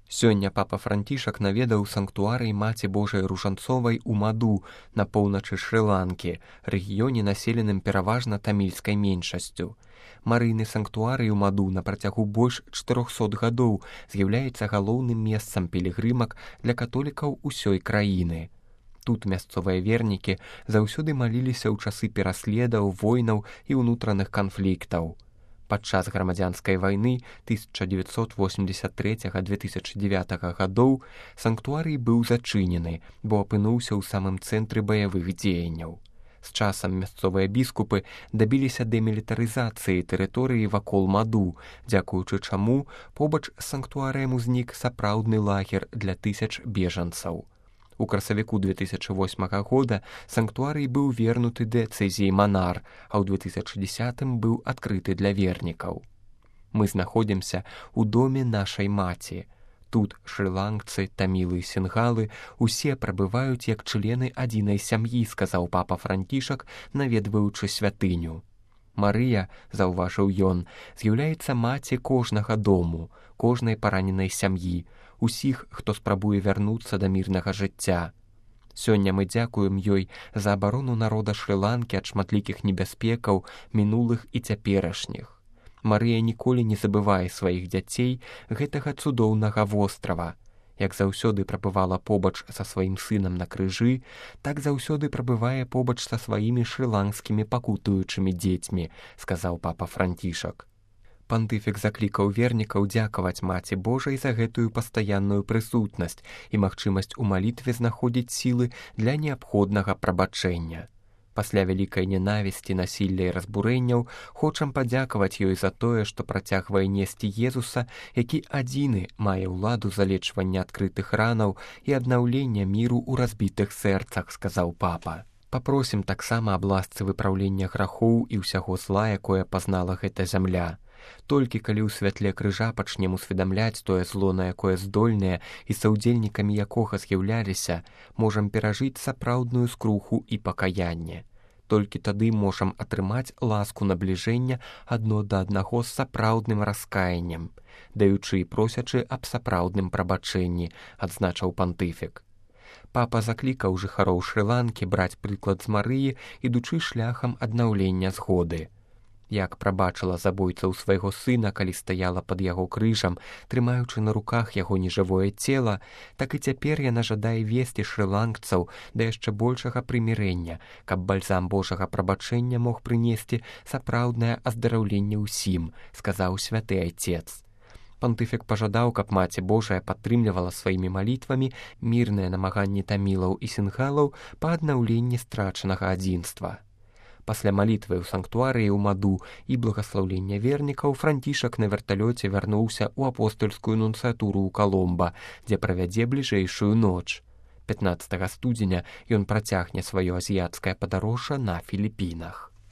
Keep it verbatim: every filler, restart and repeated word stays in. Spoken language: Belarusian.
Сёння папа Францішак наведаў санктуарый Маці Божай Ружанцовай у Маду на поўначы Шры-Ланкі, рэгіёне, населеным пераважна тамільскай меншасцю. Марыйны санктуарый у Маду на працягу больш чатырохсот гадоў з'яўляецца галоўным месцам пілігрымак для католікаў усёй краіны. Тут мясцовыя вернікі заўсёды маліліся ў часы пераследаў, войнаў і ўнутраных канфліктаў. Падчас грамадзянскай вайны тысяча дзевяцьсот восемьдесят третьего — две тысячи девятого гадоў санктуарый быў зачынены, бо апынуўся ў самым цэнтры баявых дзеянняў. З часам мясцовыя біскупы дабіліся дэмілітарызацыі тэрыторыі вакол Маду, дзякуючы чаму побач з санктуарыем узнік сапраўдны лагер для тысяч бежанцаў. У красавіку две тысячи восьмого года санктуарый быў вернуты дыяцэзіі Манар, а ў две тысячи десятым быў адкрыты для вернікаў. Мы знаходзімся ў доме нашай маці. Тут шры-ланкцы, тамілы і сінгалы усе прабываюць як члены адзінай сям'і, сказаў папа Францішак, наведваючы святыню. Марыя, заўважыў ён, з'яўляецца маці кожнага дому, кожнай параненай сям'і, усіх, хто спрабуе вярнуцца да мірнага жыцця. Сёння мы дзякуем ёй за абарону народа Шры-Ланкі ад шматлікіх небяспекаў, мінулых і цяперашніх. Марыя ніколі не забывае сваіх дзяцей гэтага цудоўнага вострава. Як заўсёды прабывала побач са сваім сынам на крыжы, так заўсёды прабывае побач са сваімі шры-ланкскімі пакутуючымі дзецьмі, сказаў папа Францішак. Пантыфік заклікаў вернікаў дзякаваць Маці Божай за гэтую пастаянную прысутнасць і магчымасць у малітве знаходзіць сілы для неабходнага прабачэння. Пасля вялікай ненавісці, насілля і разбурэнняў хочам падзякаваць ёй за тое, што працягвае несці Езуса, які адзіны мае ўладу залечвання адкрытых ранаў і аднаўлення міру ў разбітых сэрцах, сказаў папа. Папросім таксама аб ласцы выпраўлення грахоў і ўсяго зла, якое пазнала гэта зямля. Толькі калі ў святле крыжа пачнем усведамляць тое зло, на якое здольныя і саўдзельнікамі якога з'яўляліся, можам перажыць сапраўдную скруху і пакаянне. Толькі тады можам атрымаць ласку набліжэння адно да аднаго з сапраўдным раскаяннем, даючы і просячы аб сапраўдным прабачэнні, адзначыў пантыфік. Папа заклікаў жыхароў Шры-Ланкі браць прыклад з Марыі, ідучы шляхам аднаўлення згоды. Як прабачыла забойцаў свайго сына, калі стаяла пад яго крыжам, трымаючы на руках яго нежывое цела, так і цяпер яна жадае весці шры-ланкцаў да яшчэ большага прымірэння, каб бальзам Божага прабачэння мог прынесці сапраўднае аздараўленне ўсім, сказаў святы айцец. Пантыфік пажадаў, каб Маці Божая падтрымлівала сваімі малітвамі мірныя намаганні тамілаў і сінгалаў па аднаўленні страчанага адзінства. Пасля малітвы ў санктуарыі ў Маду і благаслаўлення вернікаў Францішак на верталёце вярнуўся ў апостольскую нунцыятуру ў Каломба, дзе правядзе бліжэйшую ноч. пятнаццатага студзеня ён працягне сваё азіяцкае падарожжа на Філіпінах.